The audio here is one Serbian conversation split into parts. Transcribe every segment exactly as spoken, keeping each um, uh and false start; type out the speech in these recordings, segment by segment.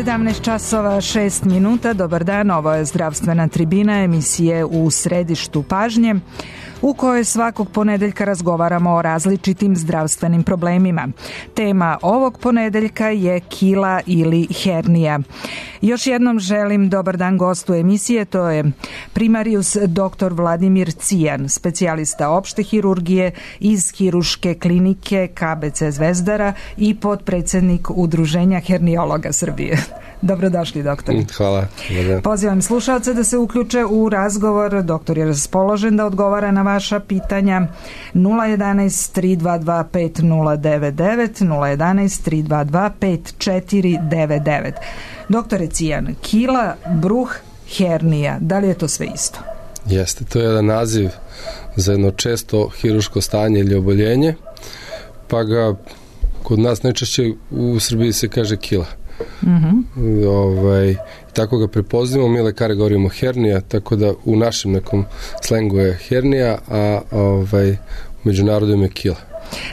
sedamnaest časova šest minuta, dobar dan, ovo je Zdravstvena tribina, emisije u središtu pažnje, u kojoj svakog ponedeljka razgovaramo o različitim zdravstvenim problemima. Tema ovog ponedeljka je kila ili hernija. Još jednom želim dobar dan gostu emisije, to je primarius doktor Vladimir Cijan, specijalista opšte hirurgije iz Hiruške klinike K B C Zvezdara i potpredsjednik Udruženja herniologa Srbije. Dobrodošli, doktor. Hvala. Pozivam slušalce da se uključe u razgovor. Doktor je raspoložen da odgovara na vaša pitanja. nula jedanaest tri dva dva pet nula devet devet, nula jedanaest tri dva dva pet četiri devet devet. Doktore Cijan, kila, bruh, hernija, da li je to sve isto? Jeste, to je jedan naziv za jedno često hiruško stanje ili oboljenje, pa ga kod nas najčešće u Srbiji se kaže kila. Mm-hmm. Ovaj, tako ga prepoznamo, mi lekari govorimo hernija, tako da u našem nekom slengu je hernija, a ovaj, u međunarodnom je kila.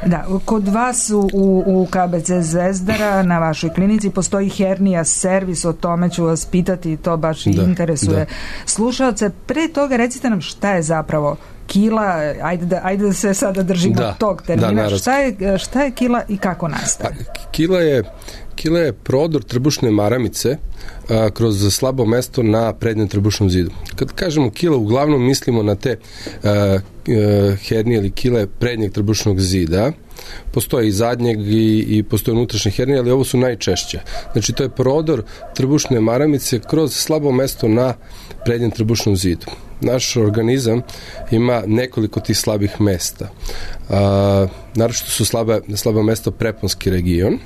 Da, kod vas u, u K B C Zvezdara na vašoj klinici postoji hernija servis, o tome ću vas pitati, to baš da, interesuje da. slušalce. Pre toga recite nam šta je zapravo kila, ajde da, ajde da se sada držimo da, tog termina, da, šta, je, šta je kila i kako nastaje? Pa, kila je Kila je prodor trbušne maramice a, kroz slabo mesto na prednjem trbušnom zidu. Kad kažemo kila, uglavnom mislimo na te a, a, hernije ili kile prednjeg trbušnog zida. Postoje i zadnjeg i, i postoje unutrašnje hernije, ali ovo su najčešće. Znači, to je prodor trbušne maramice kroz slabo mesto na prednjem trbušnom zidu. Naš organizam ima nekoliko tih slabih mesta. A, naročito su slaba, slaba mesta preponski region,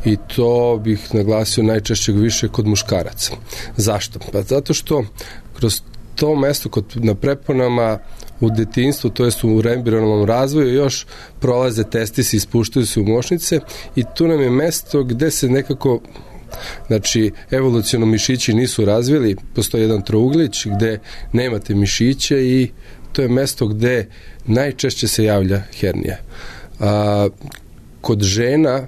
i to bih naglasio najčešće više kod muškaraca. Zašto? Pa zato što kroz to mesto kod, na preponama u detinjstvu, to jest u embrionalnom razvoju, još prolaze testisi, ispuštaju se u mošnice i tu nam je mesto gde se nekako, znači, evoluciono mišići nisu razvili, postoji jedan trouglić gde nemate mišiće i to je mesto gde najčešće se javlja hernija. A, kod žena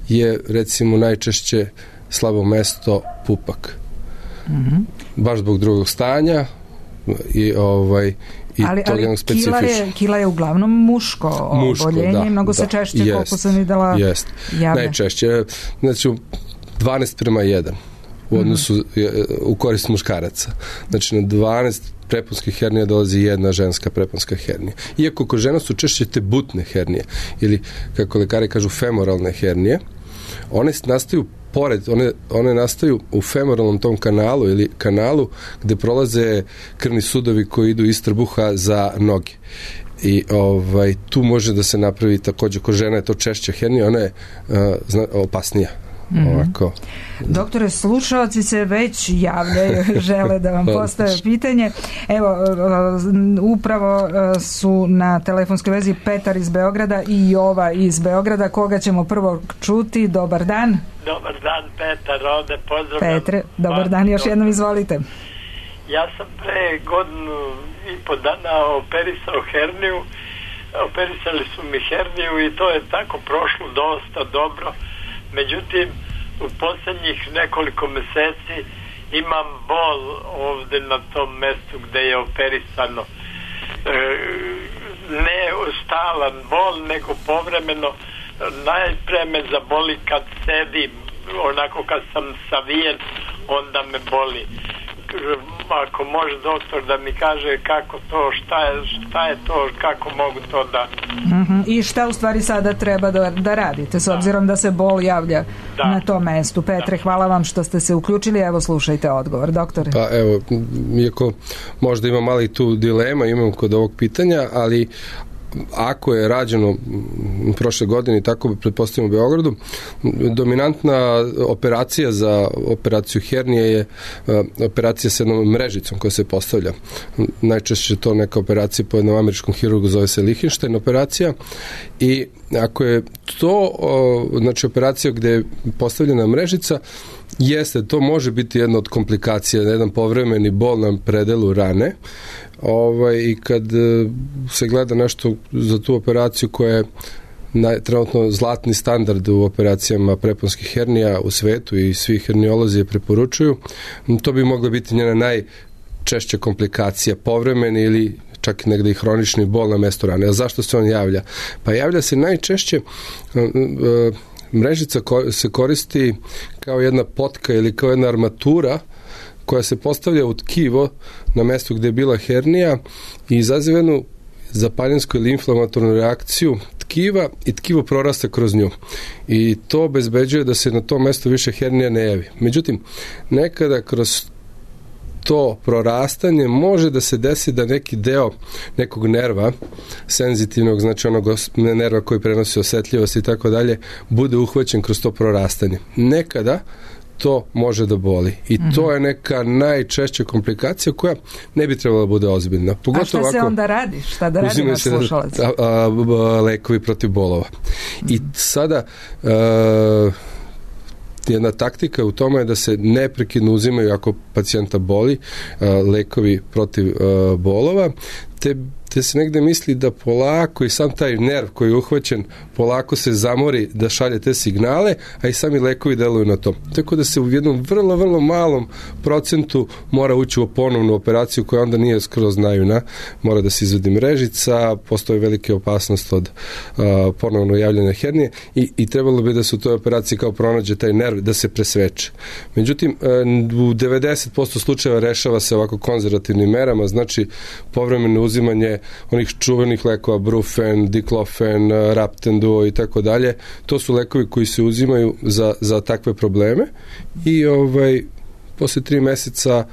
je, recimo, najčešće slabo mesto pupak. Mm-hmm. Baš zbog drugog stanja i ovaj i ali, to ali kila je, kila je uglavnom muško, muško oboljenje, da, mnogo se da, češće, jest, koliko sam videla, jest. Javne. Najčešće, znači dvanaest prema jedan u odnosu mm-hmm. u korist muškaraca. Znači na dvanaest preponskih hernija dolazi jedna ženska preponska hernija. Iako kod žena su češće te butne hernije ili, kako lekari kažu, femoralne hernije, one nastaju pored, one, one nastaju u femoralnom tom kanalu ili kanalu gde prolaze krvni sudovi koji idu iz trbuha za noge. I ovaj, tu može da se napravi takođe, kod žena je to češća hernija, ona je uh, zna, opasnija. Mm-hmm. Ovako. Doktore, slušalci se već javljaju, žele da vam postave pitanje. Evo, upravo su na telefonskoj vezi Petar iz Beograda i Jova iz Beograda. Koga ćemo prvo čuti? Dobar dan. Dobar dan, Petar, ovde pozdravljam. Petre, dobar dan, još jednom izvolite. Ja sam pre godinu i po dana operisao herniju. Operisali su mi herniju i to je tako prošlo dosta dobro. Međutim, u posljednjih nekoliko meseci imam bol ovde na tom mestu gde je operisano. E, ne stalan bol, nego povremeno. Najpre me zaboli kad sedim, onako kad sam savijen, onda me boli. Ako može doktor da mi kaže kako to, šta je, šta je to, kako mogu to da... Mm-hmm. I šta u stvari sada treba da, da radite, s obzirom da. da se bol javlja da. na tom mestu. Petre, da. hvala vam što ste se uključili, evo slušajte odgovor, doktore. Pa evo, iako možda ima mali tu dilema, imam kod ovog pitanja, ali ako je rađeno u prošle godine, tako pretpostavljamo u Beogradu, dominantna operacija za operaciju hernije je operacija sa jednom mrežicom koja se postavlja. Najčešće to neka operacija po jednom američkom hirurgu, zove se Lichtenstein operacija, i ako je to znači operacija gde je postavljena mrežica, jeste, to može biti jedna od komplikacija, jedan povremeni bol na predelu rane. Ovaj, i kad se gleda nešto za tu operaciju koja je naj, trenutno zlatni standard u operacijama preponskih hernija u svetu i svi herniolozi je preporučuju. To bi mogla biti njena najčešća komplikacija, povremeni ili čak i negde i hronični bol na mestu rane. A zašto se on javlja? Pa javlja se najčešće, mrežica se koristi kao jedna potka ili kao jedna armatura koja se postavlja u tkivo na mestu gde je bila hernija i izaziva jednu zapaljensku ili inflamatornu reakciju tkiva i tkivo prorasta kroz nju. I to obezbeđuje da se na tom mestu više hernija ne javi. Međutim, nekada kroz to prorastanje može da se desi da neki deo nekog nerva, senzitivnog, znači onog nerva koji prenosi osetljivost i tako dalje, bude uhvaćen kroz to prorastanje. Nekada to može da boli. I mm-hmm. to je neka najčešća komplikacija koja ne bi trebala da bude ozbiljna. Pogotovo a šta ovako, se onda radi? Šta da radi naš slušalac? A, a, a, lekovi protiv bolova. Mm-hmm. I sada a, jedna taktika u tome je da se neprekidno uzimaju ako pacijenta boli a, lekovi protiv a, bolova, te te se negde misli da polako i sam taj nerv koji je uhvaćen polako se zamori da šalje te signale, a i sami lekovi deluju na to. Tako da se u jednom vrlo, vrlo malom procentu mora ući u ponovnu operaciju koja onda nije skroz naivna. Mora da se izvedi mrežica, postoji velika opasnost od uh, ponovno javljanja hernije i, i trebalo bi da se u toj operaciji kao pronađe taj nerv da se presveče. Međutim, uh, u devedeset posto slučajeva rešava se ovako konzervativnim merama, znači povremeno uzimanje onih čuvenih lekova, Brufen, Diklofen, Raptenduo i tako dalje. To su lekovi koji se uzimaju za, za takve probleme i ovaj, posle tri meseca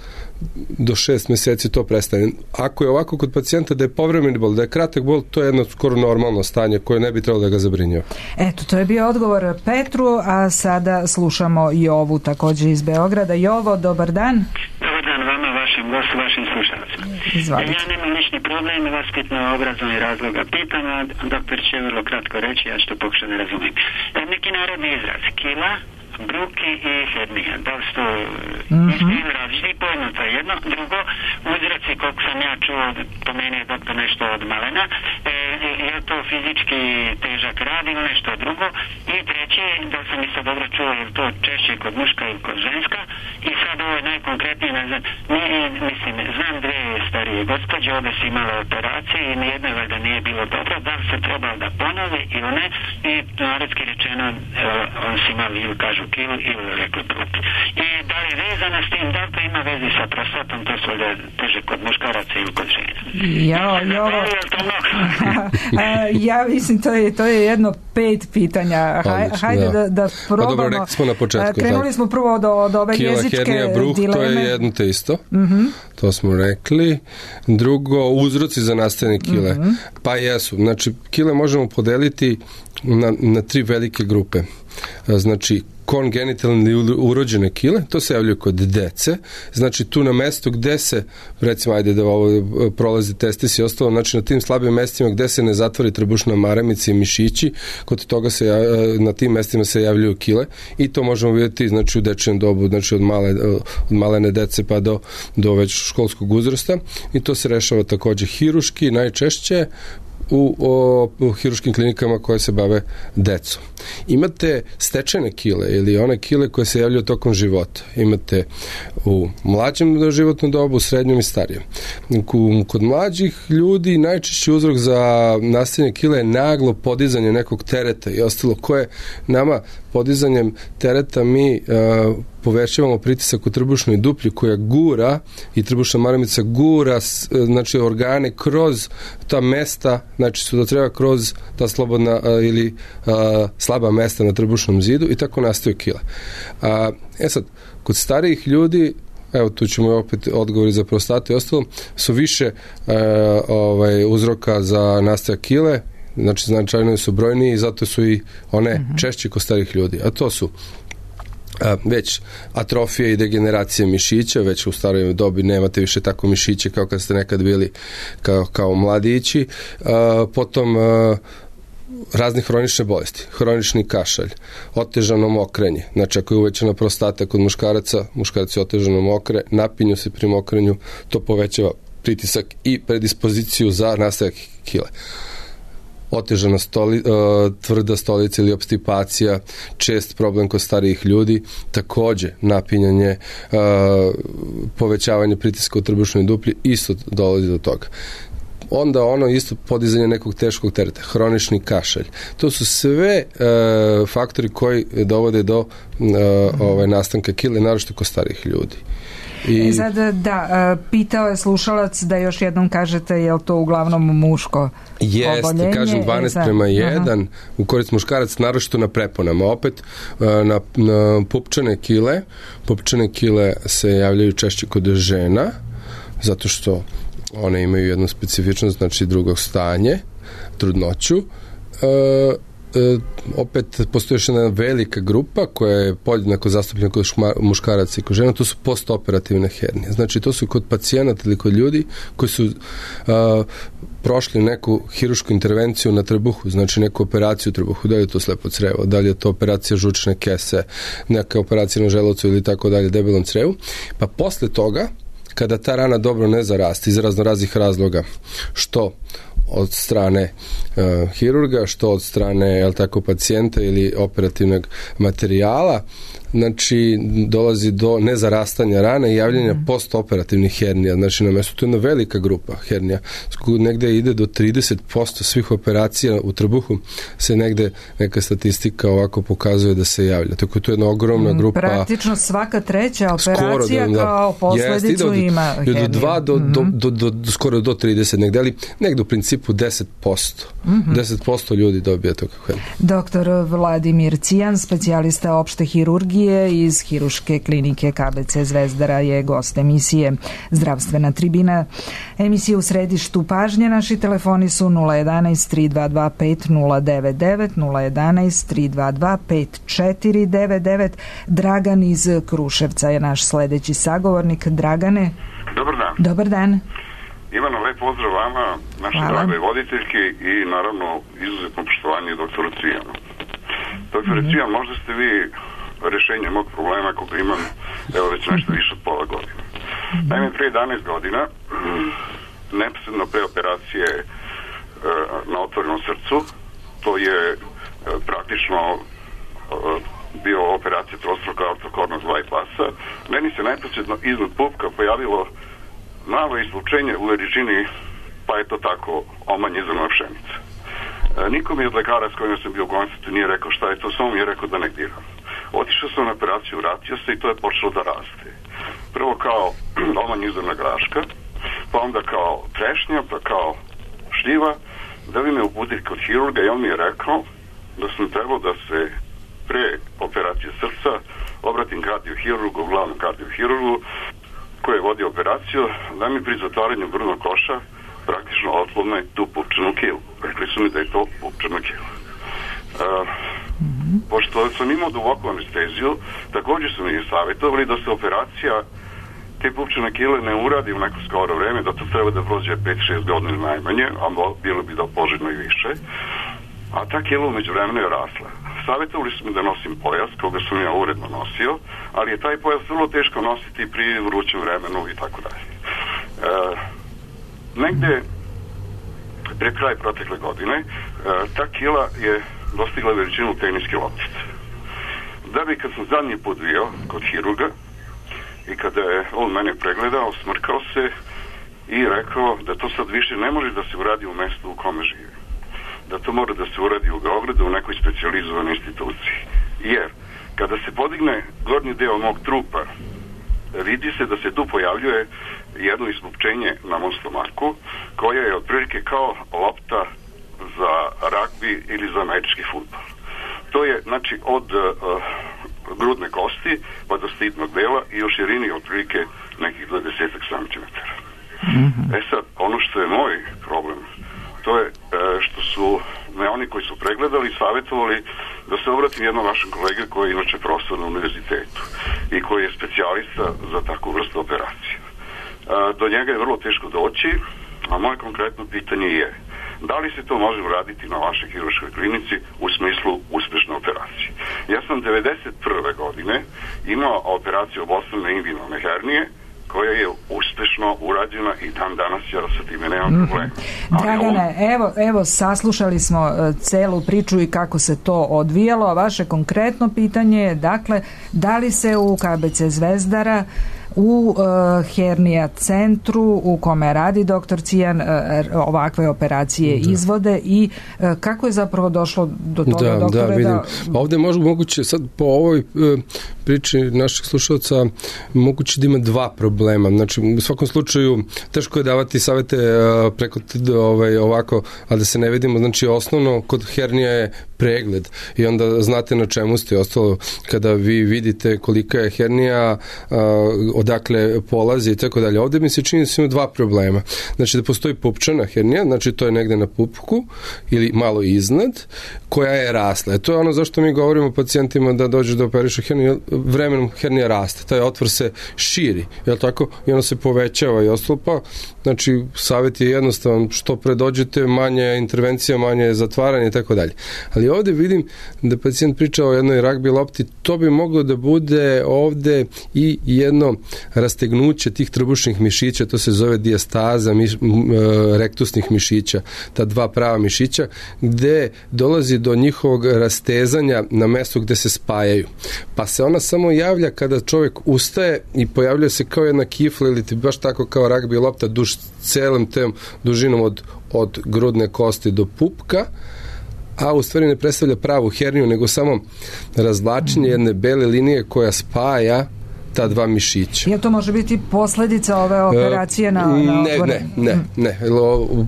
do šest meseci to prestane. Ako je ovako kod pacijenta da je povremeni bol, da je kratak bol, to je jedno skoro normalno stanje koje ne bi trebalo da ga zabrinjava. Eto, to je bio odgovor Petru, a sada slušamo Jovu takođe iz Beograda. Jovo, dobar dan. Dobar dan vama, vašem gostu, vašim slušalcima. Izvalite. Ja nemam lični problem, vaspitno obrazovni razloga pitam, a doktor će vrlo kratko reći, ja što pokušam da razumijem. Neki narodni izraz, kila, bruki i hernija. Da li su to mm-hmm. isti ili različiti pojma, to je jedno. Drugo, uzroci, koliko sam ja čuo, pomenuje doktor nešto od malena, e, je to fizički težak rad ili nešto drugo. I treći, da sam i sad dobro čuo, je to češće kod muška ili kod ženska. I sad ovo je najkonkretnije, ne znam, nije, mislim, znam dve starije gospođe, obe su imale operacije i nijedno da nije bilo dobro, da li se trebalo da ponove ili ne. I narodski rečeno, on su imali ili kažu kilu ili rekli bruki. I da li vezano s tim, da li to ima veze sa prostatom, to su da teže kod muškaraca ili kod žena. Jo, jo. Ja mislim, to je, to je jedno pet pitanja. Haj, hajde da, da, da probamo. Pa dobro, rekli smo na početku. Krenuli smo prvo od, od ove kila, jezičke hernija, bruh, dileme. To je jedno te isto. Mm-hmm. To smo rekli. Drugo, uzroci za nastajanje kile. Mm-hmm. Pa jesu. Znači, kile možemo podeliti na, na tri velike grupe. Znači, kongenitalne urođene kile, to se javljaju kod dece, znači tu na mestu gde se, recimo, ajde da ovo prolazi testis i ostalo, znači na tim slabim mestima gde se ne zatvori trbušna maramica i mišići, kod toga se, na tim mestima se javljaju kile i to možemo vidjeti, znači, u dečijem dobu, znači od, male, od malene dece pa do, do već školskog uzrasta i to se rešava takođe hiruški, najčešće u, o, u hiruškim klinikama koje se bave decom. Imate stečene kile ili one kile koje se javljaju tokom života. Imate u mlađem životnom dobu, u srednjem i starijem. Kod mlađih ljudi najčešći uzrok za nastajanje kile je naglo podizanje nekog tereta i ostalo koje nama podizanjem tereta mi uh, povećavamo pritisak u trbušnoj duplji koja gura i trbušna maramica gura znači organe kroz ta mesta, znači su da treba kroz ta slobodna uh, ili uh, slaba mesta na trbušnom zidu i tako nastaju kile. Uh, e sad, kod starijih ljudi, evo tu ćemo opet odgovori za prostatu i ostalo, su više uh, ovaj, uzroka za nastajak kile, znači značajno su brojniji i zato su i one uh-huh. češće kod starih ljudi, a to su a, već atrofija i degeneracija mišića, već u staroj dobi nemate više tako mišiće kao kad ste nekad bili kao, kao mladići, a, potom a, raznih hronične bolesti, hronični kašalj, otežano mokrenje, znači ako je uvećana prostata kod muškaraca, muškarci otežano mokre, napinju se pri mokrenju, to povećava pritisak i predispoziciju za nastajak kile. otežana stoli, uh, tvrda stolica ili obstipacija, čest problem kod starijih ljudi, takođe napinjanje, uh, povećavanje pritiska u trbušnoj duplji, isto dolazi do toga. Onda ono isto podizanje nekog teškog tereta, hronični kašalj. To su sve uh, faktori koji dovode do uh, ovaj, nastanka kile, naročito kod starijih ljudi. I sad, da, pitao je slušalac da još jednom kažete, je li to uglavnom muško Jeste, oboljenje? Jeste, kažem dvanaest prema jedan u korist muškarac, naročito na preponama. Opet, na, na pupčane kile, pupčane kile se javljaju češće kod žena, zato što one imaju jednu specifičnost, znači drugog stanje, trudnoću. E, E, opet postoji još jedna velika grupa koja je podjednako zastupljena kod muškaraca i kod žena, to su postoperativne hernije. Znači to su kod pacijenata ili kod ljudi koji su a, prošli neku hirušku intervenciju na trbuhu, znači neku operaciju u trbuhu, da li je to slepo crevo, da li je to operacija žučne kese, neka operacija na želucu ili tako dalje, debelom crevu, pa posle toga kada ta rana dobro ne zaraste iz razno raznih razloga, što od strane uh, hirurga, što od strane, jel tako, pacijenta ili operativnog materijala, znači dolazi do nezarastanja rane i javljanja mm. postoperativnih hernija. Znači na mesto, to je jedna velika grupa hernija. Negde ide do trideset posto svih operacija u trbuhu se negde neka statistika ovako pokazuje da se javlja. Tako to je jedna ogromna grupa. Praktično svaka treća operacija da, da, kao posledicu jest, ima herniju. Do dva do, mm-hmm. do, do, do, skoro do trideset negde, ali negde u principu deset posto. Mm-hmm. deset posto ljudi dobija to kako herniju. Doktor Vladimir Cijan, specijalista opšte hirurgije iz Hiruške klinike K B C Zvezdara, je gost emisije Zdravstvena tribina. Emisija u središtu pažnje. Naši telefoni su nula jedanaest tri dva dva pet nula devet devet, nula jedanaest tri dva dva pet četiri devet devet. Dragan iz Kruševca je naš sledeći sagovornik. Dragane. Dobar dan. Dobar dan. Ivano, lep pozdrav vama, naše drage voditeljke i naravno izuzetno poštovanje doktoru Cijanu. Doktore mm-hmm. Cijan, možda ste vi rešenje mog problema koga imam, evo već nešto više od pola godine. Mm-hmm. Naime, pre jedanaest godina, neposredno pre operacije e, na otvorenom srcu, to je e, praktično e, bio operacija trostruka aortokornog bypassa, meni se neposredno iznad pupka pojavilo malo islučenje u veličini, pa je to tako omanjizana pšenica. E, niko mi od lekara s kojima sam bio u konsultu nije rekao šta je to, samo mi je rekao da ne diram. Otišao sam na operaciju, vratio se i to je počelo da raste. Prvo kao omanjizana graška, pa onda kao trešnja, pa kao šljiva, da bi me uputili kod hirurga i on mi je rekao da sam trebao da se pre operacije srca obratim kardiohirurgu, glavnom kardiohirurgu koji je vodio operaciju, da mi pri zatvaranju grudnog koša praktično otlome tu pupčanu kilu. Rekli su mi da je to pupčana kila. Uh, mm-hmm. Pošto sam imao duboku anesteziju, također su mi savjetovali da se operacija te pupčane kile ne uradi u neko skoro vreme, da to treba da prođe pet šest godina najmanje, a bilo bi da poželjno i više. A ta kila umeđu vremena je rasla. Savjetovali su mi da nosim pojas, koga sam ja uredno nosio, ali je taj pojas vrlo teško nositi pri vrućem vremenu i tako dalje. E, negde pre kraj protekle godine e, ta kila je dostigla veličinu teniske loptice. Da bi kad sam zadnji put bio kod hirurga i kada je on mene pregledao, smrkao se i rekao da to sad više ne može da se uradi u mestu u kome živi. Da to mora da se uradi u Beogradu u nekoj specijalizovanoj instituciji. Jer kada se podigne gornji deo mog trupa, vidi se da se tu pojavljuje jedno ispupčenje na mom stomaku, koja je otprilike kao lopta za ragbi ili za američki fudbal. To je, znači, od uh, grudne kosti pa do stidnog dela i u širini otprilike nekih dvadeset centimetara. Mm-hmm. E sad, ono što je moj problem, to je uh, što su me oni koji su pregledali savjetovali da se obratim jednom vašem kolege koji je inače profesor na univerzitetu i koji je specijalista za takvu vrstu operacije. Uh, do njega je vrlo teško doći, a moje konkretno pitanje je da li se to može uraditi na vašoj hirurškoj klinici u smislu uspešne operacije. Ja sam devedeset prve godine imao operaciju obostrane inguinalne hernije koja je uspešna. uspešno urađena i dan danas ja sa time nemam mm-hmm. problema. Dragane, on... evo, evo saslušali smo celu priču i kako se to odvijalo, a vaše konkretno pitanje je, dakle, da li se u K B C Zvezdara u uh, hernija centru u kome radi doktor Cijan uh, ovakve operacije da. izvode i uh, kako je zapravo došlo do toga, da, doktore? Da, vidim. Da... Ovde možemo moguće, sad po ovoj uh, priči naših slušalca, moguće da ima dva problema. Znači, u svakom slučaju, teško je davati savete uh, preko ovaj, ovako, a da se ne vidimo. Znači, osnovno kod hernija je pregled i onda znate na čemu ste. Ostalo, kada vi vidite kolika je hernija, uh, odakle polazi i tako dalje. Ovde mi se čini da su ima dva problema. Znači da postoji pupčana hernija, znači to je negde na pupku ili malo iznad, koja je rasla. E to je ono zašto mi govorimo pacijentima da dođe da operiše herniju, vremenom hernija raste. Taj otvor se širi, je li tako? I ono se povećava i ostalo, pa znači savjet je jednostavan, što pre dođete, manje intervencija, manje zatvaranje i tako dalje. Ali ovde vidim da pacijent priča o jednoj ragbi lopti, to bi moglo da bude ovde i jedno rastegnuće tih trbušnih mišića, to se zove dijastaza miš, m, rektusnih mišića, ta dva prava mišića, gde dolazi do njihovog rastezanja na mestu gde se spajaju. Pa se ona samo javlja kada čovjek ustaje i pojavljuje se kao jedna kifla ili baš tako kao ragbi lopta duž celom tem dužinom od, od grudne kosti do pupka, a u stvari ne predstavlja pravu herniju, nego samo razvlačenje jedne bele linije koja spaja ta dva mišića. Je to može biti posledica ove operacije na, na otvore? Ne, ne, ne, ne.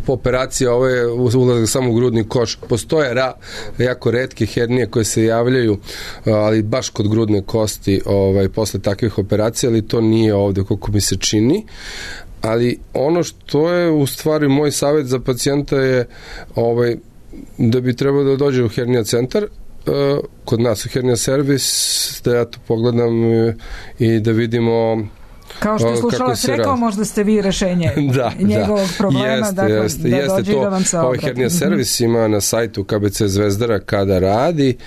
Operacija ove je ulazak samo u grudni koš. Postoje ra, jako retke hernije koje se javljaju, ali baš kod grudne kosti ovaj, posle takvih operacija, ali to nije ovde koliko mi se čini. Ali ono što je u stvari moj savjet za pacijenta je ovaj, da bi trebao da dođe u hernija centar, kod nas u hernija servis, da ja to pogledam i da vidimo kao što je slušalac rekao, radi. Možda ste vi rešenje da, njegovog da. problema, jeste, dakle, jeste, da jeste dođe to, da vam se obrati. Ovaj hernija servis ima na sajtu K B C Zvezdara kada radi,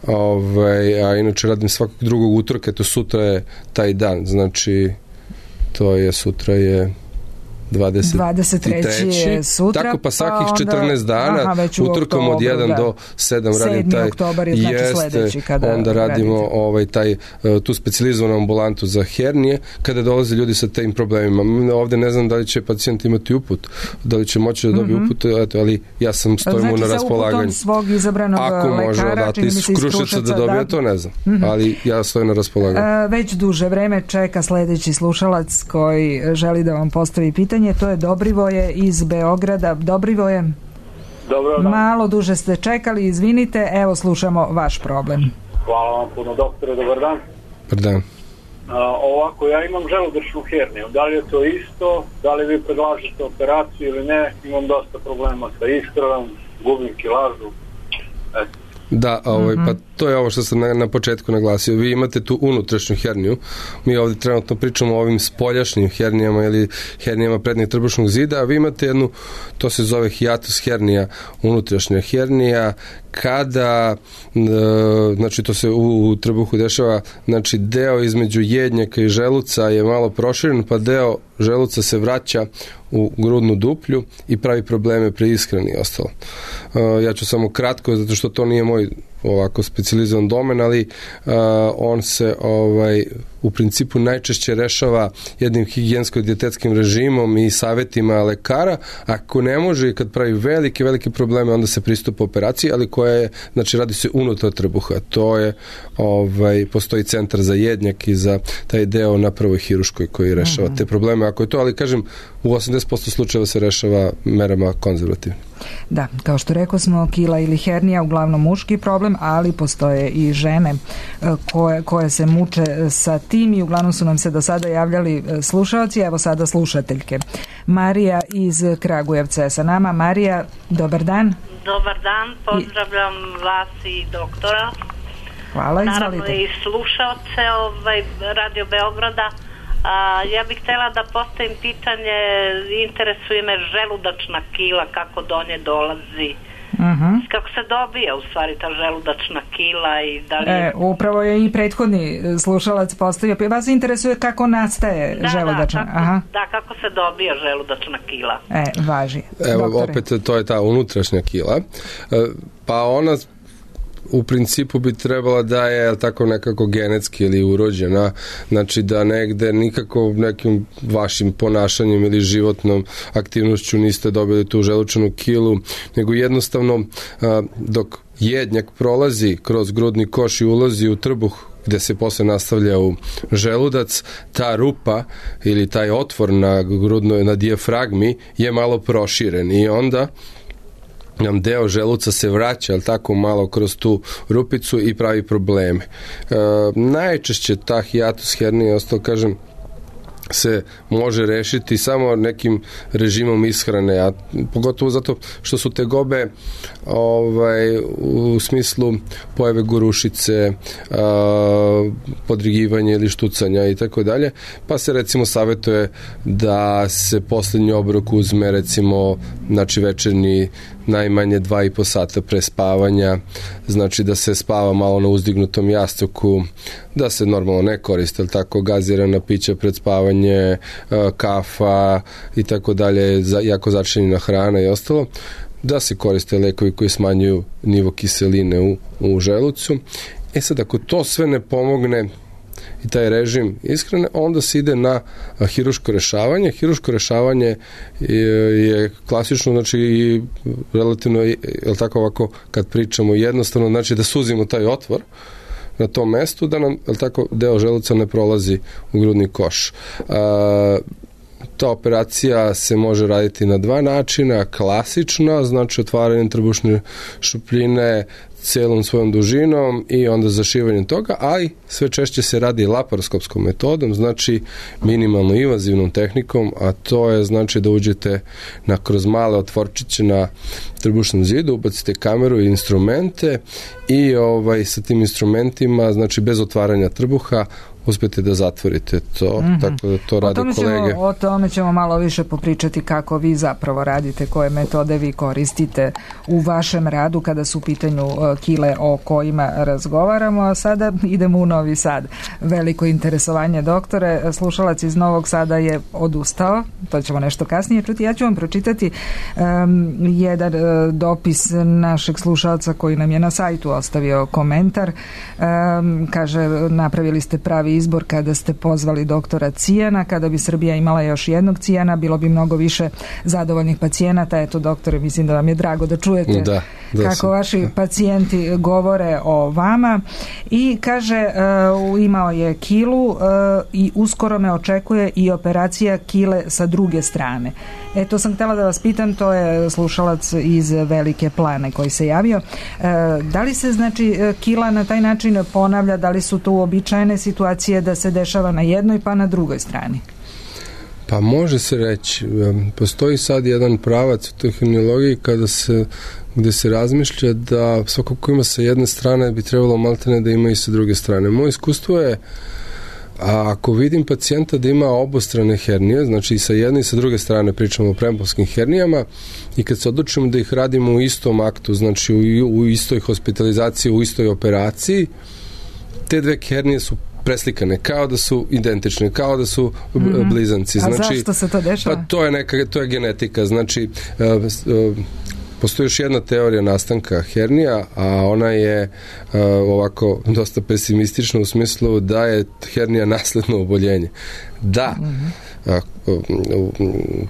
ovaj, a inače radim svakog drugog utorka, to sutra je taj dan, znači to je sutra je dvadeset treći je sutra, tako pa svakih pa četrnaest dana aha, utorkom od jedan do sedam radim taj oktobar je znači sledeći kada onda radimo radite. ovaj taj tu specijalizovanu ambulantu za hernije kada dolaze ljudi sa tim problemima. Ovde ne znam da li će pacijent imati uput, da li će moći da dobije mm-hmm. uput, eto, ali ja sam stojim znači, mu na raspolaganju. Svog izabranog ako lekara, može odati iz Kruševca da dobije, da. to ne znam, mm-hmm. ali ja stojim na raspolaganju. A, već duže vreme čeka sledeći slušalac koji želi da vam postavi pitanje. To je Dobrivoje iz Beograda. Dobrivoje, dobro, malo duže ste čekali, izvinite, evo slušamo vaš problem. Hvala vam puno, doktore, dobar dan. Dobar dan. A, ovako, ja imam želudačnu herniju, da li je to isto, da li vi predlažete operaciju ili ne, imam dosta problema sa iskravom, gubim kilažu, eto. Da, ovaj, mm-hmm. pa to je ovo što sam na, na početku naglasio. Vi imate tu unutrašnju herniju. Mi ovdje trenutno pričamo o ovim spoljašnjim hernijama ili hernijama prednjeg trbušnog zida, a vi imate jednu, to se zove hiatus hernija, unutrašnja hernija, kada, e, znači to se u, u trbuhu dešava, znači deo između jednjaka i želuca je malo proširen, pa deo želuca se vraća u grudnu duplju i pravi probleme pri ishrani i ostalo. E, ja ću samo kratko, zato što to nije moj ovako specijalizovan domen, ali uh, on se ovaj u principu najčešće rešava jednim higijensko-dijetetskim režimom i savjetima lekara. Ako ne može i kad pravi velike, velike probleme, onda se pristupa operaciji, ali koja je, znači radi se unutar trbuha. To je, ovaj, postoji centar za jednjak i za taj deo na prvoj hiruškoj koji rešava mm-hmm. te probleme. Ako je to, ali kažem, u osamdeset posto slučajeva se rešava merama konzervativne. Da, kao što rekao smo, kila ili hernija uglavnom muški problem, ali postoje i žene koje, koje se muče sa tim i uglavnom su nam se do sada javljali slušalci, evo sada slušateljke. Marija iz Kragujevca je sa nama. Marija, dobar dan. Dobar dan, pozdravljam I... vas i doktora. Hvala, izvalite. Naravno i slušalce ovaj, Radio Beograda. A, ja bih htjela da postavim pitanje, interesuje me želudačna kila, kako do nje dolazi. Uh-huh. S kako se dobija u stvari ta želudačna kila i da li... E, upravo je i prethodni slušalac postavio. Vas interesuje kako nastaje da, želudačna? Da, kako, Aha. da, kako se dobija želudačna kila. E, važi. Evo, Doktore. opet to je ta unutrašnja kila. Pa ona u principu bi trebala da je tako nekako genetski ili urođena, znači da negde nikako nekim vašim ponašanjem ili životnom aktivnošću niste dobili tu želučanu kilu, nego jednostavno dok jednjak prolazi kroz grudni koš i ulazi u trbuh gde se posle nastavlja u želudac, ta rupa ili taj otvor na grudnoj, na dijafragmi je malo proširen i onda nam deo želuca se vraća, ali tako malo kroz tu rupicu i pravi probleme. E, najčešće ta hijatus hernije, ostalo kažem, se može rešiti samo nekim režimom ishrane, a pogotovo zato što su tegobe ovaj, u smislu pojave gorušice, a, podrigivanja ili štucanja i tako dalje, pa se recimo savjetuje da se poslednji obrok uzme recimo, znači večernji najmanje dva i po sata pre spavanja, znači da se spava malo na uzdignutom jastuku, da se normalno ne koriste, ali tako gazirana pića pred spavanje, kafa i tako dalje, jako začinjena hrana i ostalo, da se koriste lekovi koji smanjuju nivo kiseline u, u želucu. E sad, ako to sve ne pomogne i taj režim ishrane, onda se ide na hiruško rešavanje. Hiruško rešavanje je, je klasično, znači i relativno, je li tako ovako, kad pričamo jednostavno, znači da suzimo taj otvor na tom mestu, da nam, je li tako, deo želuca ne prolazi u grudni koš. A, ta operacija se može raditi na dva načina, klasična, znači otvaranje trbušne šupljine celom svojom dužinom i onda zašivanjem toga, ali sve češće se radi laparoskopskom metodom, znači minimalno invazivnom tehnikom, a to je znači da uđete na, kroz male otvorčiće na trbušnom zidu, ubacite kameru i instrumente i ovaj, sa tim instrumentima, znači bez otvaranja trbuha, uspete da zatvorite to, mm-hmm. tako da to rade o kolege. Ćemo, o tome ćemo malo više popričati kako vi zapravo radite, koje metode vi koristite u vašem radu kada su u pitanju kile o kojima razgovaramo, a sada idemo u Novi Sad. Veliko interesovanje, doktore. Slušalac iz Novog Sada je odustao, to ćemo nešto kasnije čuti. Ja ću vam pročitati um, jedan uh, dopis našeg slušalca koji nam je na sajtu ostavio komentar. Um, kaže, napravili ste pravi izbor kada ste pozvali doktora Cijana. Kada bi Srbija imala još jednog Cijana, bilo bi mnogo više zadovoljnih pacijenata. Eto, doktore, mislim da vam je drago da čujete da, da kako sam. vaši pacijenti govore o vama. I kaže, uh, imao je kilu uh, i uskoro me očekuje i operacija kile sa druge strane. Eto, sam htjela da vas pitam, to je slušalac iz Velike Plane koji se javio. Uh, da li se, znači, kila na taj način ponavlja, da li su to uobičajene situacije da se dešava na jednoj pa na drugoj strani? Pa može se reći. Postoji sad jedan pravac u toj hernijologiji kada se, gde se razmišlja da svako ko ima sa jedne strane bi trebalo maltene da ima i sa druge strane. Moje iskustvo je, a ako vidim pacijenta da ima obostrane hernije, znači i sa jedne i sa druge strane, pričamo o premorskim hernijama, i kad se odlučimo da ih radimo u istom aktu, znači u, u istoj hospitalizaciji, u istoj operaciji, te dve hernije su preslikane, kao da su identične, kao da su mm-hmm. blizanci. Znači, a zašto se to dešava? Pa to je neka, to je genetika. Znači, uh, uh, postoji još jedna teorija nastanka hernija, a ona je uh, ovako dosta pesimistična u smislu da je hernija nasledno oboljenje. Da, mm-hmm. uh, uh,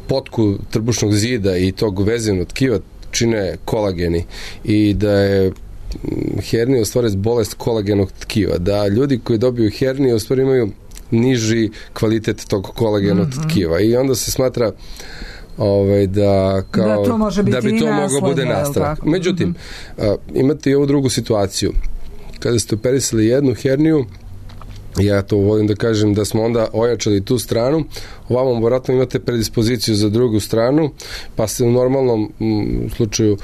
potku trbušnog zida i tog vezivnog tkiva čine kolageni i da je hernija u stvari bolest kolagenog tkiva, da ljudi koji dobiju herniju u stvari imaju niži kvalitet tog kolagenog mm-hmm. tkiva i onda se smatra ovaj, da, kao, da, to može biti da bi to moglo bude nastavak. Međutim, mm-hmm. a, imate i ovu drugu situaciju. Kada ste operisali jednu herniju, ja to volim da kažem da smo onda ojačali tu stranu, ovamo vjerojatno imate predispoziciju za drugu stranu, pa ste u normalnom m, slučaju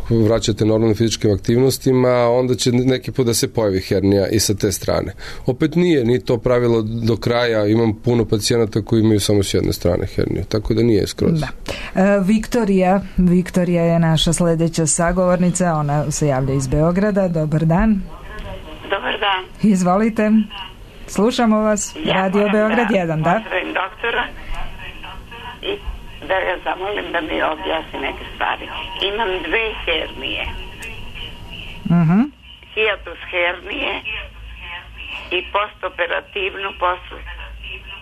vraćate normalnim fizičkim aktivnostima, onda će neki put da se pojavi hernija i sa te strane. Opet nije ni to pravilo do kraja, imam puno pacijenata koji imaju samo s jedne strane herniju, tako da nije skroz. Da. E, Viktorija, Viktorija je naša sledeća sagovornica, ona se javlja iz Beograda. Dobar dan. Dobar dan. Izvolite. Slušamo vas. Ja Radio Beograd jedan, da? Pozdravim doktora i da ga zamolim da mi objasni neke stvari. Imam dve hernije. Uh-huh. Hiatus hernije i postoperativnu posle,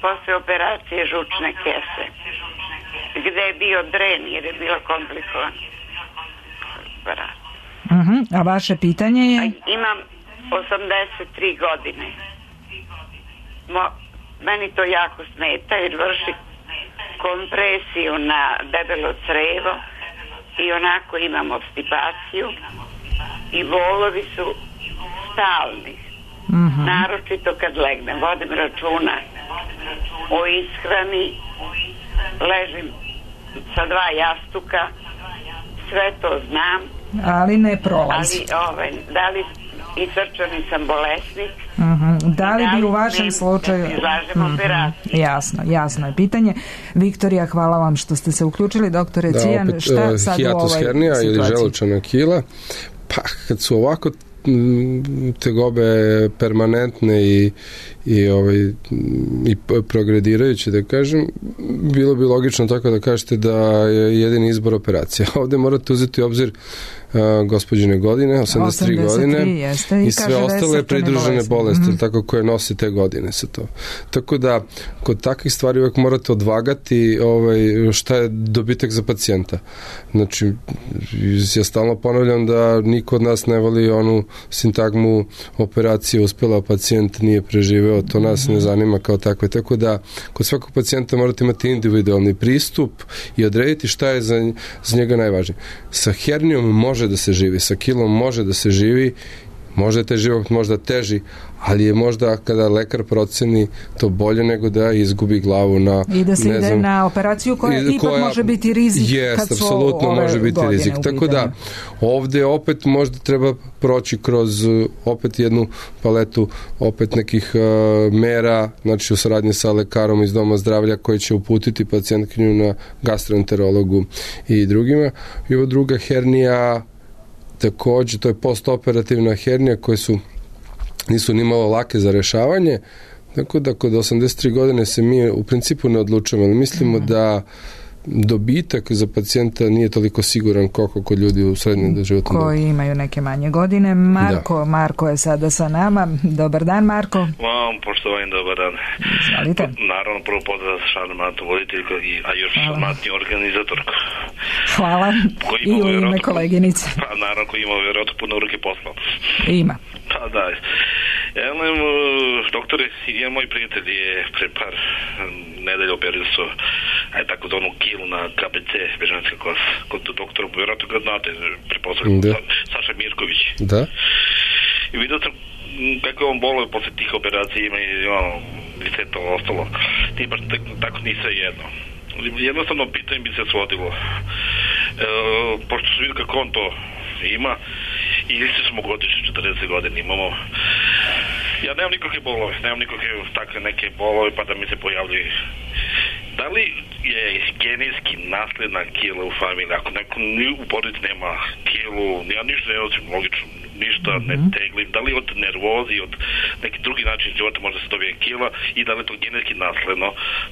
posle operacije žučne kese. Gde je bio dren jer je bilo komplikovan. Uh-huh. A vaše pitanje je? Imam osamdeset tri godine. Mo, meni to jako smeta jer vrši kompresiju na debelo crevo i onako imam obstipaciju i bolovi su stalni. Uh-huh. Naročito kad legnem. Vodim računa o ishrani, ležim sa dva jastuka, sve to znam. Ali ne prolazi. Ali, ovaj, da li i srčani sam bolesnik. Uh-huh. Da li da bi u vašem slučaju... Uh-huh. Jasno, jasno je pitanje. Viktorija, hvala vam što ste se uključili. Doktore da, Cijan, opet, šta sad u ovoj hernija situaciji? ili želučana kila, pa kad su ovako tegobe permanentne i, i, ovaj, i progredirajuće, da kažem, bilo bi logično tako da kažete da je jedini izbor operacija. Ovde morate uzeti u obzir uh, gospođine godine, osamdeset tri godine jeste, i, i sve ostale pridružene bolesti, bolesti mm-hmm. tako koje nose te godine sa to. Tako da, kod takvih stvari uvek morate odvagati ovaj, šta je dobitak za pacijenta. Znači, ja stalno ponavljam da niko od nas ne voli onu sintagmu operacije uspela, pacijent nije preživeo, to nas ne zanima kao takve. Tako da, kod svakog pacijenta morate imati individualni pristup i odrediti šta je za, za njega najvažnije. Sa hernijom može da se živi, sa kilom može da se živi, možda je taj život možda teži, ali je možda kada lekar proceni to bolje nego da izgubi glavu na... I da se ne ide znam, na operaciju koja, koja ipak može biti rizik jest, kad su apsolutno ove može biti rizik. Tako da, ovde opet možda treba proći kroz opet jednu paletu opet nekih uh, mera, znači u saradnji sa lekarom iz doma zdravlja koji će uputiti pacijentkinju na gastroenterologu i drugima. I ovo druga hernija takođe, to je postoperativna hernija koje su nisu ni malo lake za rešavanje, tako da kod osamdeset tri godine se mi u principu ne odlučujemo, ali mislimo mm. da dobitak za pacijenta nije toliko siguran koliko kod ljudi u srednjem životnom koji dobu. Imaju neke manje godine. Marko, da. Marko je sada sa nama. Dobar dan, Marko. Vam, poštovani, dobar dan. Izvalite. Naravno, prvo pozdrav sa šarmantnu voditeljku, a još šarmantni organizatorku. Hvala. I u ime koleginice. Pa, naravno, koji ima vjerojatno puno ruke posla. Ima. Pa, da. Ja nem, doktore, jedan moj prijatelj je pre par nedelja operisao, aj tako zvonu kilu na K B C, bežanska klasa, kod doktora, vjerojatno ga znate, prepostavljam, da. Saša Mirković. Da. I vidio sam kako on boluje posle tih operacija, ima i ono, liceto, ostalo. Ti baš tako nisa jedno. Jednostavno pitanje bi se svodilo. E, pošto su vidio kako on to ima, i isti smo godišnji, četrdeset godina imamo. Ja nemam nikakve bolove, nemam nikakve takve neke bolove pa da mi se pojavljaju. Da li je genetski nasledna kila u familiji? Ako neko u porodici nema kilu, ja ništa ne nosim, logično, ništa ne teglim. Da li od nervozi, od neki drugi način života može se dobije kila i da li je to genetski nasledno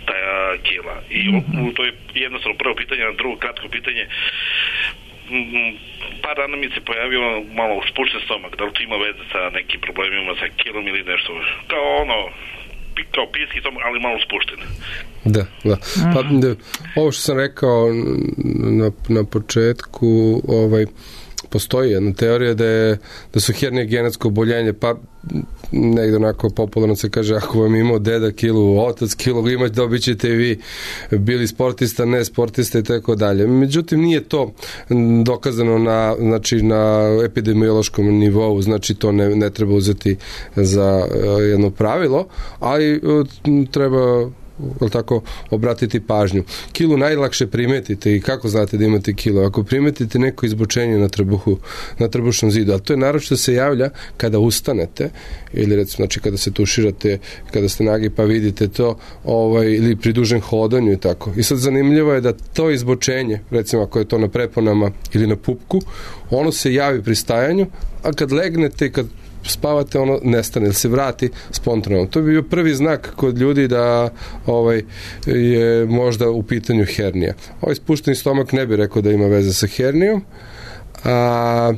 ta kila? I mm-hmm. to je jednostavno prvo pitanje, na drugo kratko pitanje. Par dana mi se pojavio malo spušten stomak, da li to ima veze sa nekim problemima sa kilom ili nešto, kao ono kao pijski stomak, ali malo spušten. Da, da. Pa, da ovo što sam rekao na, na početku, ovaj, postoji jedna teorija da, je, da su hernije genetsko oboljenje, pa negde onako popularno se kaže, ako vam imao deda kilu, otac kilu, imate, dobit ćete i vi bili sportista, ne sportista i tako dalje. Međutim, nije to dokazano na, znači, na epidemiološkom nivou, znači to ne, ne treba uzeti za jedno pravilo, ali treba tako, obratiti pažnju. Kilu najlakše primetite i kako znate da imate kilu? Ako primetite neko izbočenje na trbuhu, na trbušnom zidu, a to je naročito se javlja kada ustanete ili recimo znači kada se tuširate, kada ste nagi pa vidite to, ovaj, ili pri dužem hodanju i tako. I sad zanimljivo je da to izbočenje, recimo ako je to na preponama ili na pupku, ono se javi pri stajanju, a kad legnete i kad spavate, ono nestane ili se vrati spontano. To bi bio prvi znak kod ljudi da ovaj, je možda u pitanju hernija. Ovaj spušteni stomak ne bi rekao da ima veze sa hernijom, a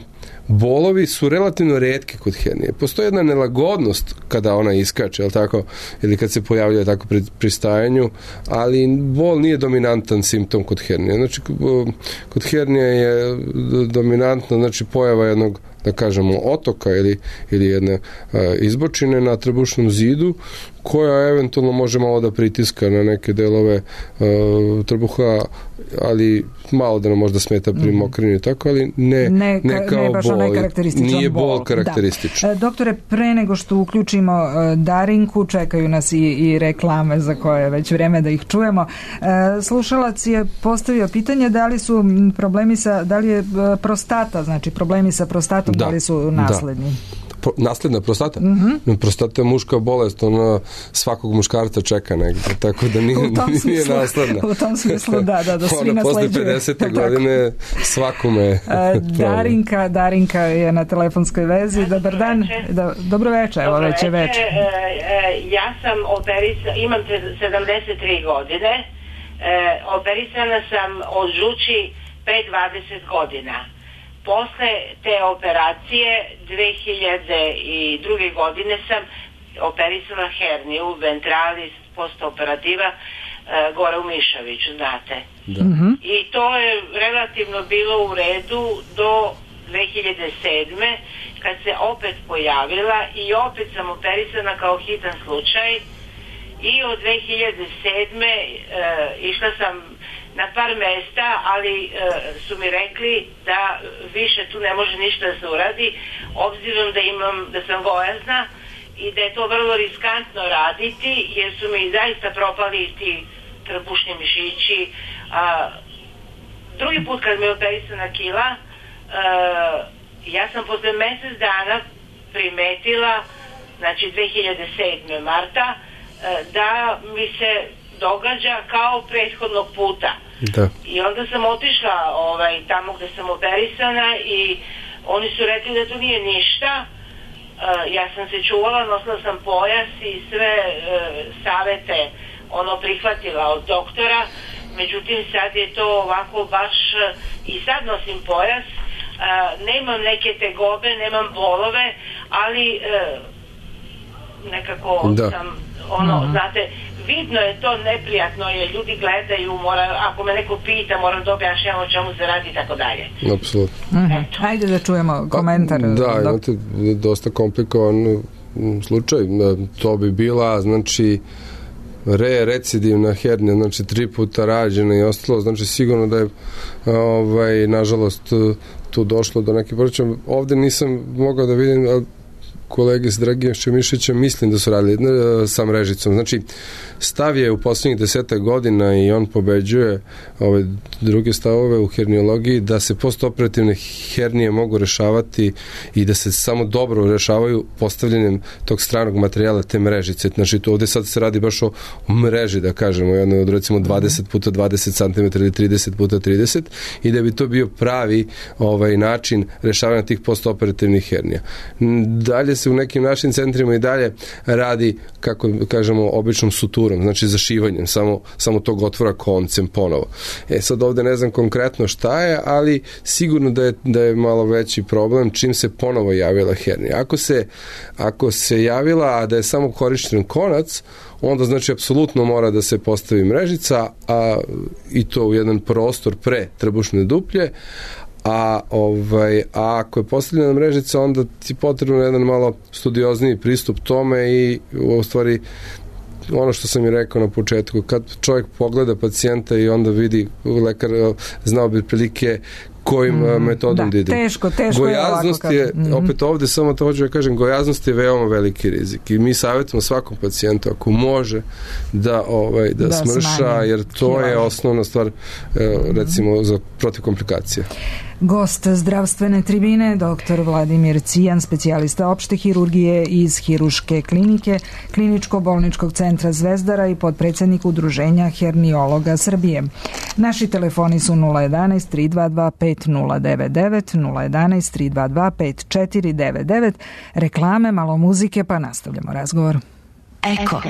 bolovi su relativno retki kod hernije. Postoji jedna nelagodnost kada ona iskače, jel tako, ili kad se pojavljuje tako pri, pri stajanju, ali bol nije dominantan simptom kod hernije. Znači, kod hernije je dominantno, znači, pojava jednog, da kažemo, otoka ili, ili jedne a, izbočine na trbušnom zidu, koja eventualno može malo da pritiska na neke delove a, trbuha, ali malo da nam možda smeta pri mokrenju, tako, ali ne, ne, ne kao ne bol. Nije bol karakterističan. Da. Doktore, pre nego što uključimo Darinku, čekaju nas i, i reklame za koje je već vreme da ih čujemo. Slušalac je postavio pitanje da li su problemi sa, da li je prostata, znači problemi sa prostatom, da, da li su nasledni? Da. Nasledna prostata? Mm-hmm. Prostata je muška bolest, ona svakog muškarca čeka negdje, tako da nije, nije smislu, nasledna. U tom smislu, da, da, da svi ona nasleđuju. Posle pedesete godine svakome. Darinka, Darinka je na telefonskoj vezi. Dobar dan. Da, dobro večer, evo već je večer. Ja sam operisana, imam sedamdeset tri godine, operisana sam od žuči pre dvadeset godina. Posle te operacije dve hiljade druge. godine sam operisala herniju, ventralis, postoperativa, e, gore u Mišaviću, znate. Da. Mm-hmm. I to je relativno bilo u redu do dve hiljade sedme. kad se opet pojavila i opet sam operisana kao hitan slučaj i od dve hiljade sedme. E, išla sam na par mesta, ali e, su mi rekli da više tu ne može ništa da se uradi, obzirom da imam, da sam gojazna i da je to vrlo riskantno raditi, jer su mi zaista propali ti trbušni mišići. A, drugi put kad mi je operisana kila, e, ja sam posle mesec dana primetila, znači dve hiljade sedme. marta, e, da mi se događa kao prethodnog puta. Da. I onda sam otišla ovaj, tamo gde sam operisana i oni su rekli da to nije ništa. Uh, ja sam se čuvala, nosila sam pojas i sve uh, savete ono prihvatila od doktora, međutim sad je to ovako baš uh, i sad nosim pojas, uh, nemam neke tegobe, nemam bolove, ali uh, nekako da. sam ono, mm-hmm. znate, vidno je to neprijatno, jer ljudi gledaju, mora, ako me neko pita, moram da objašnjam o čemu se radi i tako dalje. Apsolutno. Mm-hmm. Ajde da čujemo komentar. Pa, da, imate dosta komplikovan slučaj. To bi bila, znači, re, recidivna hernija, znači tri puta rađena i ostalo, znači sigurno da je ovaj, nažalost tu došlo do neke poreća. Ovde nisam mogao da vidim, ali kolege s Dragijem Šemišićem mislim da su radili sa mrežicom. Znači, stav je u posljednjih desetak godina i on pobeđuje ove druge stavove u herniologiji da se postoperativne hernije mogu rešavati i da se samo dobro rešavaju postavljanjem tog stranog materijala, te mrežice. Znači, to ovde sad se radi baš o mreži, da kažemo, jednoj od recimo dvadeset puta dvadeset centimetara ili trideset puta trideset i da bi to bio pravi ovaj način rešavanja tih postoperativnih hernija. Dalje se u nekim našim centrima i dalje radi, kako kažemo, običnom suturom, znači zašivanjem samo, samo tog otvora koncem ponovo. E sad ovde ne znam konkretno šta je, ali sigurno da je, da je malo veći problem čim se ponovo javila hernija. Ako se, ako se javila, a da je samo korišten konac, onda znači apsolutno mora da se postavi mrežica, a i to u jedan prostor pre trbušne duplje, a ovaj a ako je postavljena mrežica, onda ti potrebno jedan malo studiozniji pristup tome i u stvari ono što sam i rekao na početku, kad čovjek pogleda pacijenta i onda vidi, lekar znao bi prilike kojim mm, metodom da, idemo. Teško, teško gojaznost je, je, mm-hmm. opet ovde samo to hoću da kažem, gojaznost je veoma veliki rizik i mi savjetujemo svakom pacijentu ako može da, ovaj, da, da smrša, smanji. Jer to Hilaj. je osnovna stvar recimo mm-hmm. za protiv komplikacija. Gost zdravstvene tribine, doktor Vladimir Cijan, specijalista opšte hirurgije iz Hiruške klinike, Kliničko-bolničkog centra Zvezdara i podpredsednik Udruženja herniologa Srbije. Naši telefoni su nula jedanaest tri dva dva pet nula devet devet, nula jedanaest tri dva dva pet četiri devet devet, reklame, malo muzike, pa nastavljamo razgovor. Eko.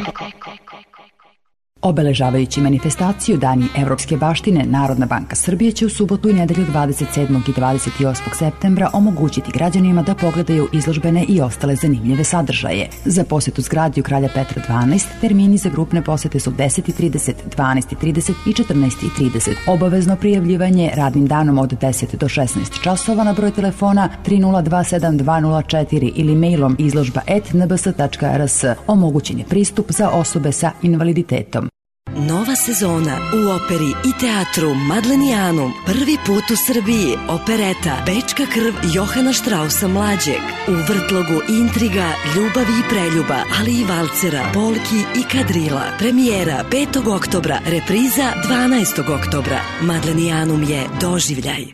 Obeležavajući manifestaciju Dani evropske baštine, Narodna banka Srbije će u subotu i nedelju dvadeset sedmog i dvadeset osmog septembra omogućiti građanima da pogledaju izložbene i ostale zanimljive sadržaje. Za posetu zgradi u Kralja Petra dvanaest termini za grupne posete su deset i trideset, dvanaest i trideset i četrnaest i trideset. Obavezno prijavljivanje radnim danom od deset do šesnaest časova na broj telefona tri nula dva sedam dva nula četiri ili mailom izložba et n b s tačka r s. Omogućen je pristup za osobe sa invaliditetom. Nova sezona u operi i teatru Madlenijanum. Prvi put u Srbiji. Opereta Bečka krv Johana Štrausa mlađeg. U vrtlogu intriga, ljubavi i preljuba, ali i valcera, polki i kadrila. Premijera petog oktobra, repriza dvanaestog oktobra. Madlenijanum je doživljaj.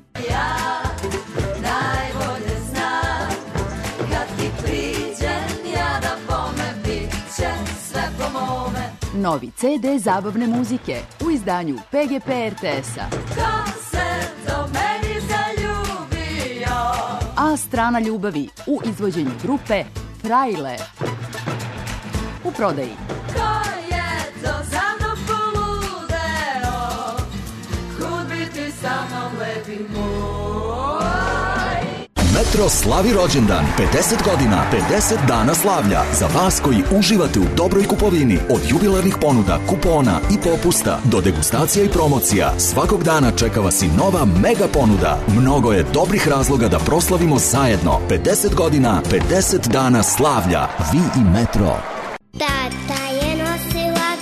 Novi ce de zabavne muzike u izdanju pe ge pe er te es-a. Ko se do meni zaljubio? A strana ljubavi u izvođenju grupe Frajle. U prodaji. Ko je to za mnom poludeo? Kud bi ti sa mnom lepi moj? Metro slavi rođendan, pedeset godina, pedeset dana slavlja. Za vas koji uživate u dobroj kupovini, od jubilarnih ponuda, kupona i popusta do degustacija i promocija, svakog dana čeka vas i nova mega ponuda. Mnogo je dobrih razloga da proslavimo zajedno. pedeset godina, pedeset dana slavlja. Vi i Metro. Tata je nosilac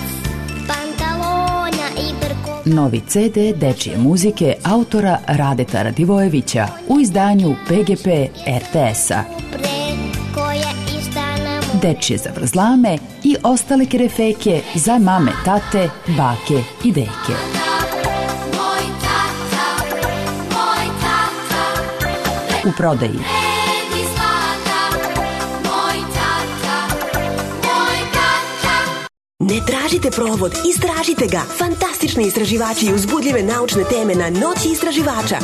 pantalona i brko. Novi ce de dečije muzike autora Radeta Radivojevića u izdanju pe ge pe er te es-a. Dečije zavrzlame i ostale kerefeke za mame, tate, bake i deke. U prodaji. Ne tražite provod, istražite ga. Fantastični istraživači i uzbudljive naučne teme na Noći istraživača.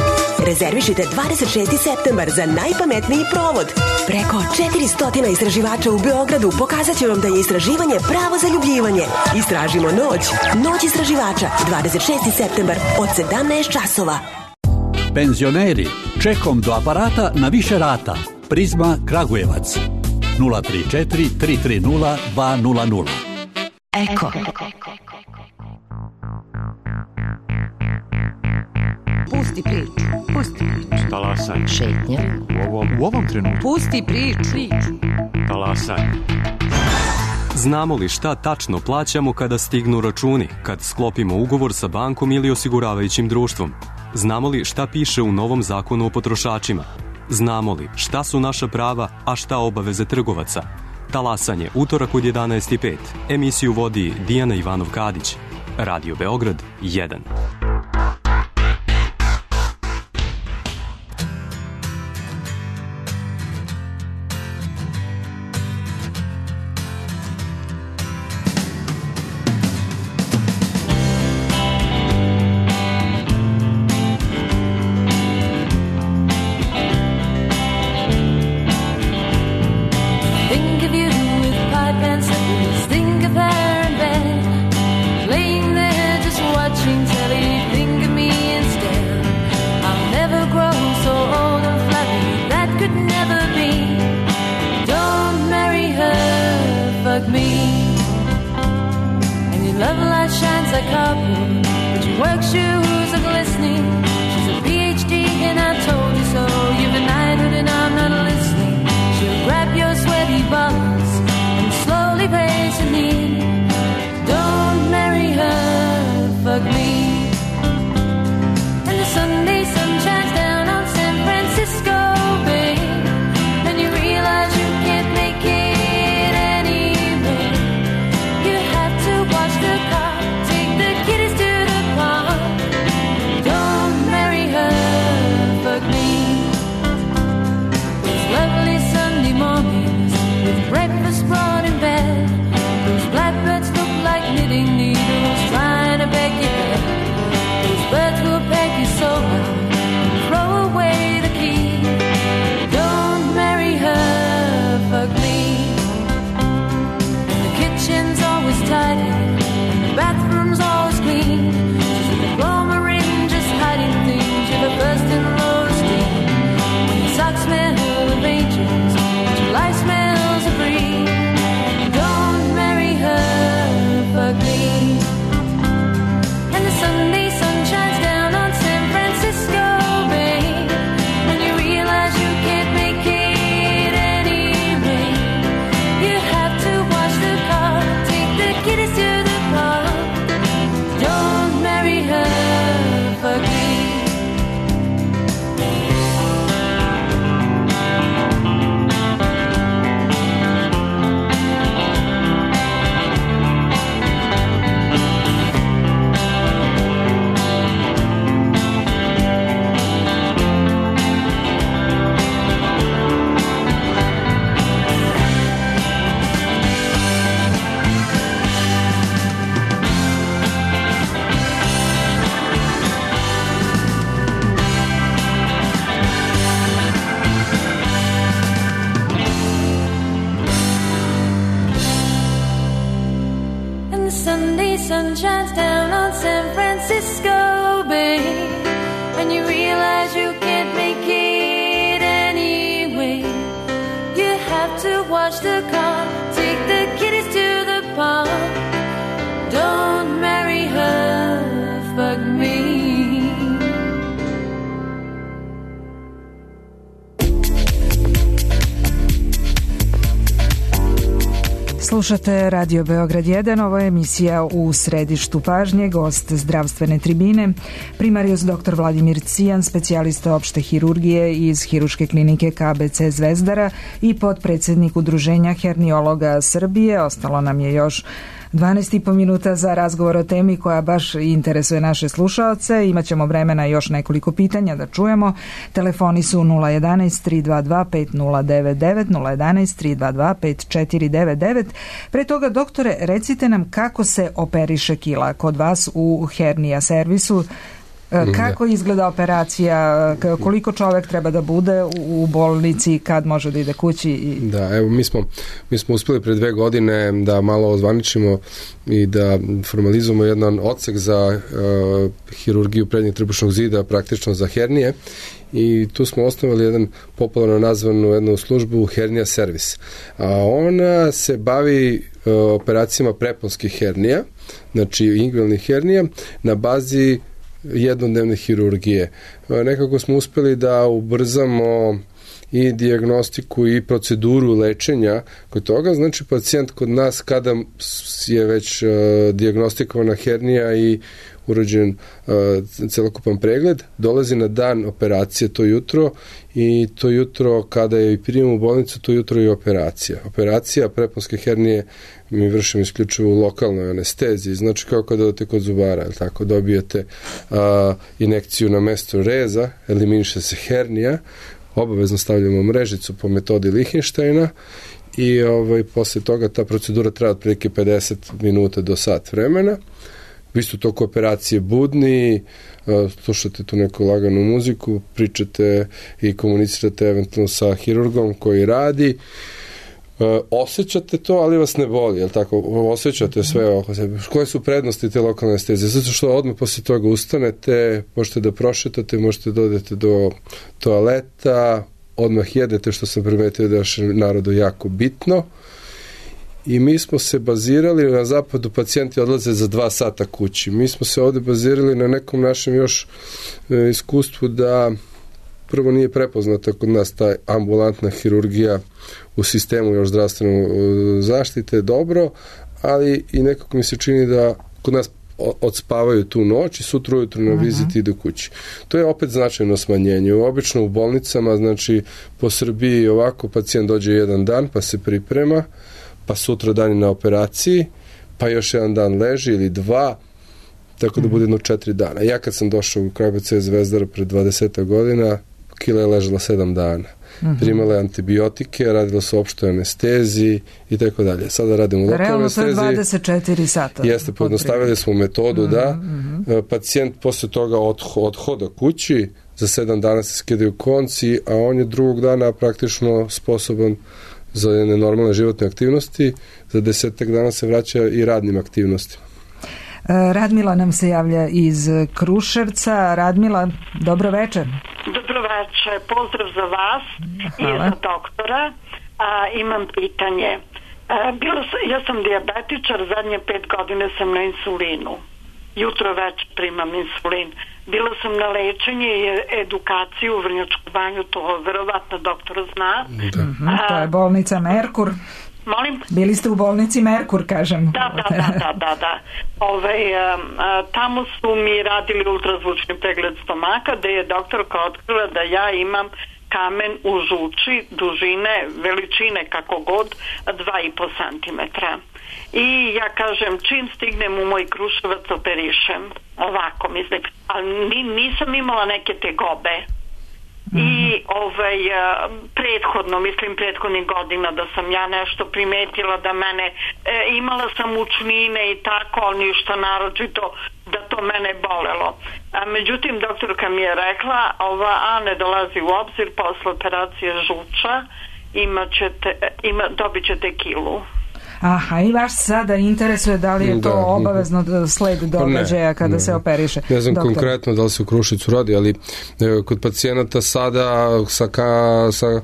Rezervišite dvadeset šesti septembar za najpametniji provod. Preko četiristo istraživača u Beogradu pokazat će vam da je istraživanje pravo zaljubljivanje. Istražimo noć. Noć istraživača, dvadeset šesti septembar od sedamnaest časova. Penzioneri, čekom do aparata na više rata. Prizma Kragujevac. nula tri četiri tri tri nula dva nula nula. Eko. Pusti priču, pusti priču. Talasaj. Šetnja. U ovom, u ovom trenutku. Pusti priču. Talasaj. Znamo li šta tačno plaćamo kada stignu računi, kad sklopimo ugovor sa bankom ili osiguravajućim društvom? Znamo li šta piše u novom zakonu o potrošačima? Znamo li šta su naša prava, a šta obaveze trgovaca? Talasanje, utorak od jedanaest i pet. Emisiju vodi Dijana Ivanov-Kadić. Radio Beograd jedan. Sunday sun shines down sun shines down on San Francisco Bay, and you realize you can't make it anyway. You have to wash the car, take the kiddies to the park. Don't marry her, fuck me. Slušate Radio Beograd jedan, ovo je emisija U središtu pažnje, gost zdravstvene tribine, primarius dr. Vladimir Cijan, specijalista opšte hirurgije iz Hiruške klinike K B C Zvezdara i potpredsednik Udruženja herniologa Srbije. Ostalo nam je još dvanaest i po minuta za razgovor o temi koja baš interesuje naše slušaoce. Imaćemo vremena još nekoliko pitanja da čujemo. Telefoni su nula jedanaest tri dva dva pet nula devet devet, nula jedanaest tri dva dva pet četiri devet devet. Pre toga, doktore, recite nam kako se operiše kila kod vas u hernija servisu. Kako izgleda operacija, koliko čovek treba da bude u bolnici, kad može da ide kući? Da, evo mi smo, mi smo uspeli pre dve godine da malo ozvaničimo i da formalizujemo jedan odsek za uh, hirurgiju prednjeg trbušnog zida, praktično za hernije, i tu smo osnovali jedan popularno nazvanu jednu službu hernija servis. A ona se bavi uh, operacijama preponskih hernija, znači inguinalnih hernija, na bazi jednodnevne hirurgije. Nekako smo uspeli da ubrzamo i dijagnostiku i proceduru lečenja kod toga. Znači, pacijent kod nas kada je već uh, dijagnostikovana hernija i urađen uh, celokupan pregled, dolazi na dan operacije to jutro, i to jutro kada je i prijem u bolnicu, to jutro je operacija. Operacija preponske hernije mi vršimo isključivo u lokalnoj anesteziji, znači kao kada odete kod zubara, ili tako, dobijete uh, injekciju na mesto reza, eliminiše se hernija, obavezno stavljamo mrežicu po metodi Lichtensteina i ovaj, posle toga ta procedura traja otprilike pedeset minuta do sat vremena. Vi ste u toku operacije budni, slušate tu neku laganu muziku, pričate i komunicirate eventualno sa hirurgom koji radi. Osjećate to, ali vas ne boli, jel tako? Osjećate sve oko sebe. Koje su prednosti te lokalne anestezije? Zato što odmah posle toga ustanete, možete da prošetate, možete da odete do toaleta, odmah jedete, što sam primetio da je našem narodu jako bitno. I mi smo se bazirali, na zapadu pacijenti odlaze za dva sata kući. Mi smo se ovde bazirali na nekom našem još e, iskustvu da prvo nije prepoznata kod nas ta ambulantna hirurgija u sistemu još zdravstvene zaštite dobro, ali i nekako mi se čini da kod nas odspavaju tu noć i sutra ujutro na viziti ide kući. To je opet značajno smanjenje. Obično u bolnicama, znači po Srbiji ovako pacijent dođe jedan dan pa se priprema, pa sutra dan je na operaciji, pa još jedan dan leži ili dva, tako da bude jedno četiri dana. Ja kad sam došao u K B C Zvezdara pred dvadeset godina, kila je ležala sedam dana. Primala je antibiotike, radila su opštoj anesteziji i tako dalje. Sada radimo u lokalnoj anesteziji. Realno to je dvadeset četiri sata. Jeste, pojednostavili smo metodu da pacijent posle toga odhoda kući, za sedam dana se skidaju konci, a on je drugog dana praktično sposoban za jedne normalne životne aktivnosti, za desetak dana se vraća i radnim aktivnostima. Radmila nam se javlja iz Kruševca. Radmila, dobro večer. Dobro večer, pozdrav za vas. Hvala. I za doktora. A, imam pitanje. A, bilo sam, ja sam dijabetičar, zadnje pet godine sam na insulinu. Jutro već primam insulin. Bila sam na lečenje i edukaciju u Vrnjačku banju, to verovatno doktor zna. Da. A, to je bolnica Merkur. Molim? Bili ste u bolnici Merkur, kažem. Da, da, da, da, da, da. Ove, a, tamo su mi radili ultrazvučni pregled stomaka, gde je doktorka otkrila da ja imam kamen u žuči, dužine, veličine kako god, dva i po centimetra. I ja kažem, čim stignem u moj Kruševac operišem, ovako mislim, ali nisam imala neke tegobe. I ovaj, prethodno, mislim prethodnih godina da sam ja nešto primetila da mene, e, imala sam mučnine i tako, ali ništa naročito da to mene bolelo. A, međutim, doktorka mi je rekla, ova A ne dolazi u obzir, posle operacije žuča imat ćete, ima, dobit ćete kilu. Aha, i vaš sada interesuje da li je to da, obavezno sled događaja kada ne, se operiše. Ne znam Doktor. konkretno da li se u Kruševcu radi, ali e, kod pacijenata sada sa, ka, sa e,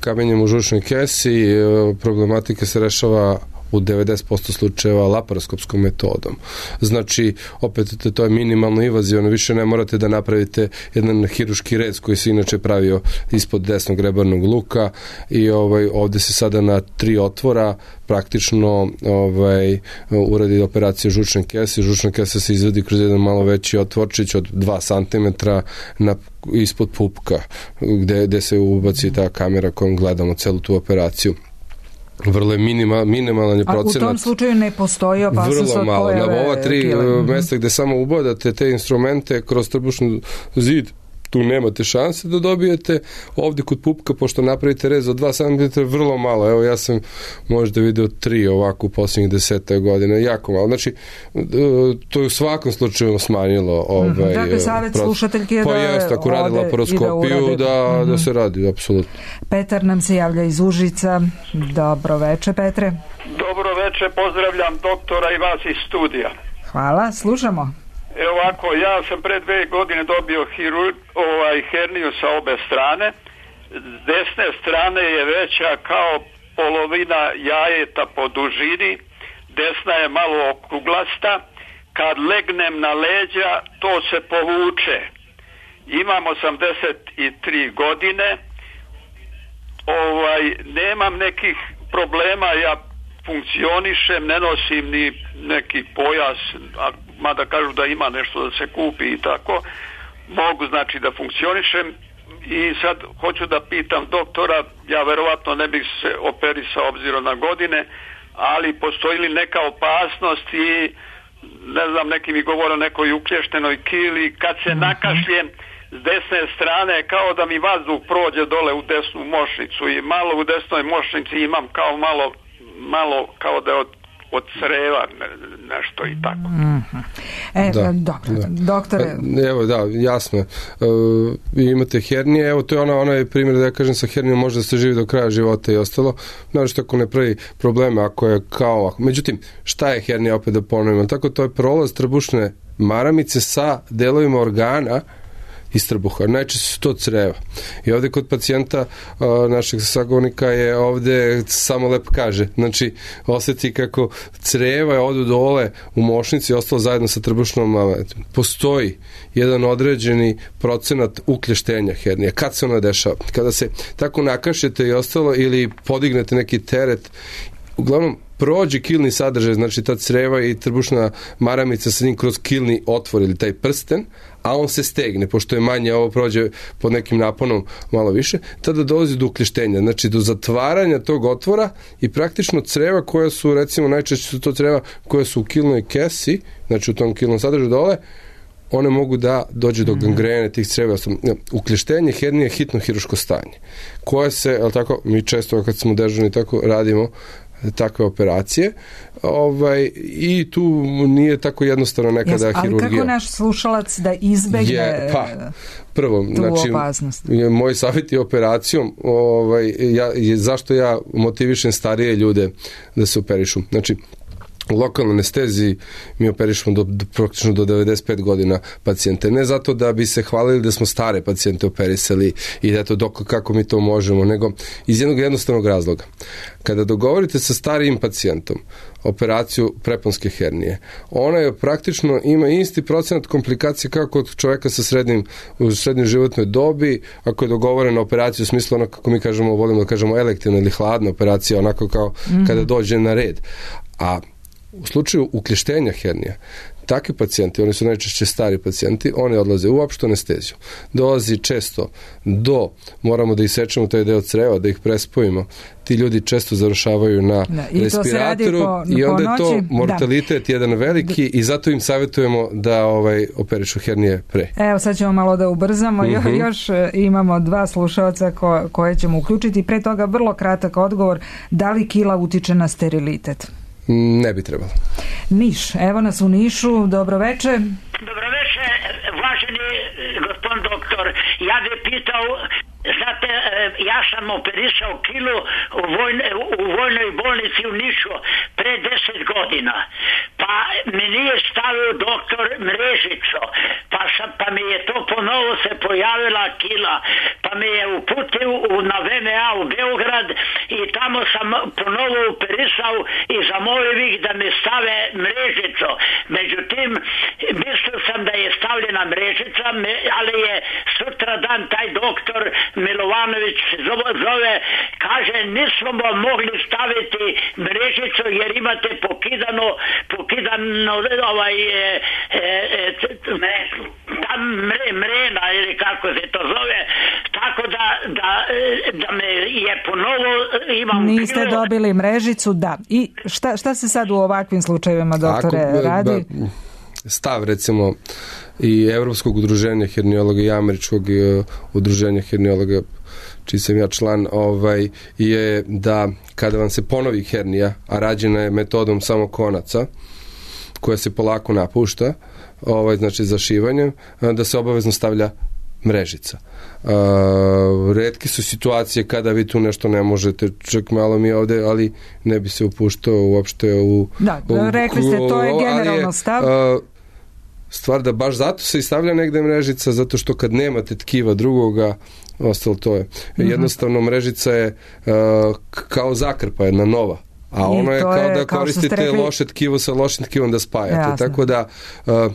kamenjem u žučnoj kesi e, problematika se rešava u devedeset posto slučajeva laparoskopskom metodom. Znači, opet to je minimalno invazivno, više ne morate da napravite jedan hiruški rez koji se inače pravio ispod desnog rebarnog luka i ovaj, ovde se sada na tri otvora praktično ovaj, uradi operacija žučne kese. Žučna kesa se izvedi kroz jedan malo veći otvorčić od dva centimetra na, ispod pupka gde, gde se ubaci ta kamera kojom gledamo celu tu operaciju. Vrlo je minima, minimalan je procenat. A u tom slučaju ne postoji opasnost od pojave vrlo malo. Na ova tri kile. mesta gde samo ubadate te instrumente kroz trbušni zid, tu nemate šanse da dobijete. Ovde kod pupka, pošto napravite rez od dva centimetra, vrlo malo. Evo, ja sam možda video tri ovako u posljednjih deseta godina, jako malo. Znači, to je u svakom slučaju smanjilo ovaj, dakle, savjet slušateljke je da pa jest, ako radi laparoskopiju, da, da, da se radi, apsolutno. Petar nam se javlja iz Užica. Dobro veče, Petre. Dobro veče, pozdravljam doktora i vas iz studija. Hvala, slušamo. Evo ovako, ja sam pre dve godine dobio hirur, ovaj, herniju sa obe strane. S desne strane je veća kao polovina jajeta po dužini, desna je malo okruglasta. Kad legnem na leđa, to se povuče. Imam osamdeset tri godine, ovaj, nemam nekih problema, ja funkcionišem, ne nosim ni neki pojas, a mada kažu da ima nešto da se kupi i tako, mogu znači da funkcionišem i sad hoću da pitam doktora, ja verovatno ne bih se operisao obzirom na godine, ali postoji li neka opasnost i ne znam, neki mi govore o nekoj uklještenoj kili, kad se nakašljem s desne strane kao da mi vazduh prođe dole u desnu mošnicu i malo u desnoj mošnici imam kao malo malo kao da je od, od creva ne, nešto i tako. Mm-hmm. E, da, dobro, da. doktore... Evo, da, jasno. E, imate hernije, evo to je ona, onaj primjer da ja kažem sa hernijom može da se živi do kraja života i ostalo. Znači što ako ne pravi probleme, ako je kao ovako. Međutim, šta je hernija, opet da ponovimo? Tako to je prolaz trbušne maramice sa delovima organa iz trbuha. Najčešće su to creva. I ovde kod pacijenta a, našeg sagovornika je ovde samo lep kaže. Znači, osjeti kako creva je odu dole u mošnici i ostalo zajedno sa trbušnom maramitom. Postoji jedan određeni procenat uklještenja hernije. Kad se ona dešava? Kada se tako nakašete i ostalo ili podignete neki teret, uglavnom prođe kilni sadržaj, znači ta creva i trbušna maramica sa njim kroz kilni otvor ili taj prsten, a on se stegne, pošto je manje, ovo prođe pod nekim naponom malo više, tada dolazi do ukleštenja, znači do zatvaranja tog otvora i praktično creva koja su, recimo najčešće su to creva koja su u kilnoj kesi, znači u tom kilnom sadržaju dole, one mogu da dođe do gangrene tih creva. Ukleštenje hernije je hitno hiruško stanje, koje se, je li tako, mi često kad smo dežurni tako radimo takve operacije, ovaj, i tu nije tako jednostavno nekada yes, hirurgija. Ali kako naš slušalac da izbegne je, pa, prvo, tu znači, opasnost? Je, moj savjet je operacijom, ovaj, ja, je, zašto ja motivišem starije ljude da se operišu. Znači, u lokalnoj anesteziji mi operišemo do, do, praktično do devedeset pet godina pacijente. Ne zato da bi se hvalili da smo stare pacijente operisali i da to dok, kako mi to možemo, nego iz jednog jednostavnog razloga. Kada dogovorite sa starijim pacijentom operaciju preponske hernije, ona je praktično ima isti procenat komplikacije kao kod čoveka sa srednjim, u srednjoj životnoj dobi, ako je dogovorena operacija u smislu ono kako mi kažemo, volimo da kažemo elektivna ili hladna operacija, onako kao mm-hmm. kada dođe na red. A u slučaju ukleštenja hernija, takvi pacijenti, oni su najčešće stari pacijenti, oni odlaze u opštu anesteziju. Dolazi često do, moramo da isečemo taj deo creva, da ih prespojimo. Ti ljudi često završavaju na da, i respiratoru po, i onda je to mortalitet da. jedan veliki i zato im savjetujemo da ovaj, operišu hernije pre. Evo sad ćemo malo da ubrzamo. Mm-hmm. Još imamo dva slušalca ko, koje ćemo uključiti. Pre toga vrlo kratak odgovor. Da li kila utiče na sterilitet? Ne bi trebalo. Niš, evo nas u Nišu, dobro veče. Dobro veče, važeni gospodin doktor, ja bih pitao Znate, ja sam operisao kilu u, vojne, u vojnoj bolnici u Nišu pre deset godina. Pa mi nije stavio doktor mrežico. Pa, sam, pa mi je to ponovo se pojavila kila. Pa mi je uputio na V M A u Beograd i tamo sam ponovo operisao i zamolio ih da mi stave mrežico. Međutim, mislio sam da je stavljena mrežica, ali je sutra dan taj doktor Milovanović zove, kaže nismo mogli staviti mrežicu jer imate pokidano pokidano ovaj e, e, ta mre, mrena ili kako se to zove, tako da, da, da me je ponovo imam niste kilo. Dobili mrežicu, da. I šta, šta se sad u ovakvim slučajevima, doktore, Ako, radi? Ba, stav recimo i Evropskog udruženja herniologa i Američkog udruženja herniologa, čiji sam ja član, ovaj, je da kada vam se ponovi hernija, a rađena je metodom samo konaca, koja se polako napušta, ovaj, znači zašivanjem, da se obavezno stavlja mrežica. Uh, retke su situacije kada vi tu nešto ne možete, čak malo mi ovde, ali ne bi se upuštao uopšte u... Da, u, rekli ste, to je generalno stav. Uh, stvar da baš zato se i stavlja negde mrežica, zato što kad nemate tkiva drugoga, ostalo to je. Mm-hmm. Jednostavno mrežica je uh, kao zakrpa, jedna nova. A ono je kao je, da kao koristite rekli, loše tkivo sa lošim tkivom da spajate. Jasne. Tako da uh,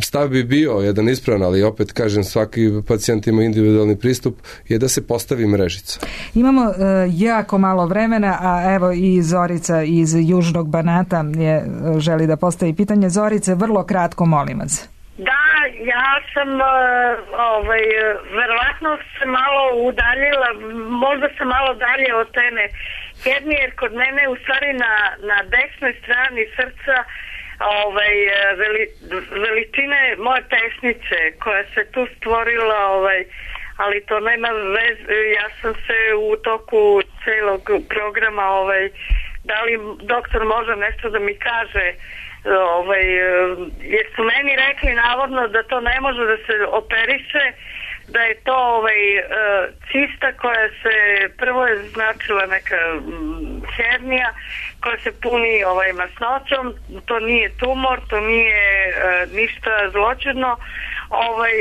stav bi bio jedan ispravan, ali opet kažem, svaki pacijent ima individualni pristup, je da se postavi mrežica. Imamo uh, jako malo vremena, a evo i Zorica iz Južnog Banata je, želi da postavi pitanje. Zorice, vrlo kratko, molim vas. Da, ja sam uh, ovaj, verovatno se malo udaljila, možda sam malo dalje od teme hernije, jer kod mene u stvari na, na desnoj strani srca ovaj, veli, veličine moje pesnice koja se tu stvorila, ovaj, ali to nema veze, ja sam se u toku celog programa, ovaj, da li doktor može nešto da mi kaže, ovaj, jer su meni rekli navodno da to ne može da se operiše, da je to ovaj, cista koja se, prvo je značila neka hernija koja se puni ovaj, masnoćom, to nije tumor, to nije uh, ništa zloćudno, ovaj,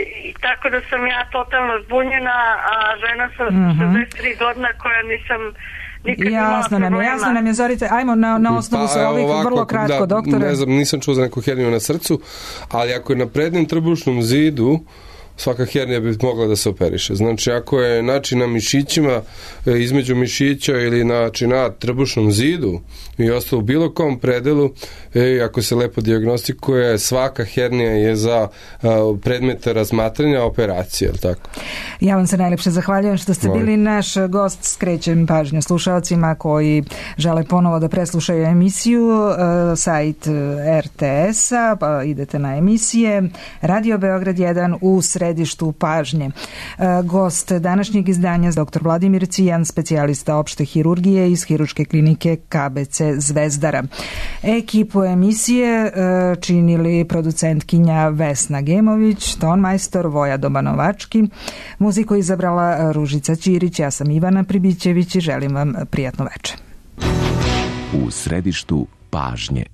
tako da sam ja totalno zbunjena, a žena sam mm-hmm. šezdeset tri godina koja nisam Jasno nam je, jasno nam je, Zorice, ajmo na, na osnovu pa, sa ovih ovako, vrlo kratko, da, doktore. Ne znam, nisam čuo za neku herniju na srcu, ali ako je na prednjem trbušnom zidu, svaka hernija bi mogla da se operiše. Znači, ako je način na mišićima, između mišića ili način na trbušnom zidu i ostalo u bilo kom predelu, e, ako se lepo dijagnostikuje, svaka hernija je za a, predmete razmatranja operacije, je li tako? Ja vam se najlepše zahvaljujem što ste Molim. bili naš gost. Skrećem pažnju slušalcima koji žele ponovo da preslušaju emisiju, e, sajt er te es-a, pa idete na emisije, Radio Beograd jedan u središtu pažnje. Gost današnjeg izdanja doktor Vladimir Cvijan, specijalista opšte hirurgije iz Hiruške klinike ka be ce Zvezdara. Ekipu emisije činili producentkinja Vesna Gemović, tonmajstor Voja Dobanovački, muziku izabrala Ružica Ćirić, ja sam Ivana Pribićević i želim vam prijatno večer. U središtu pažnje.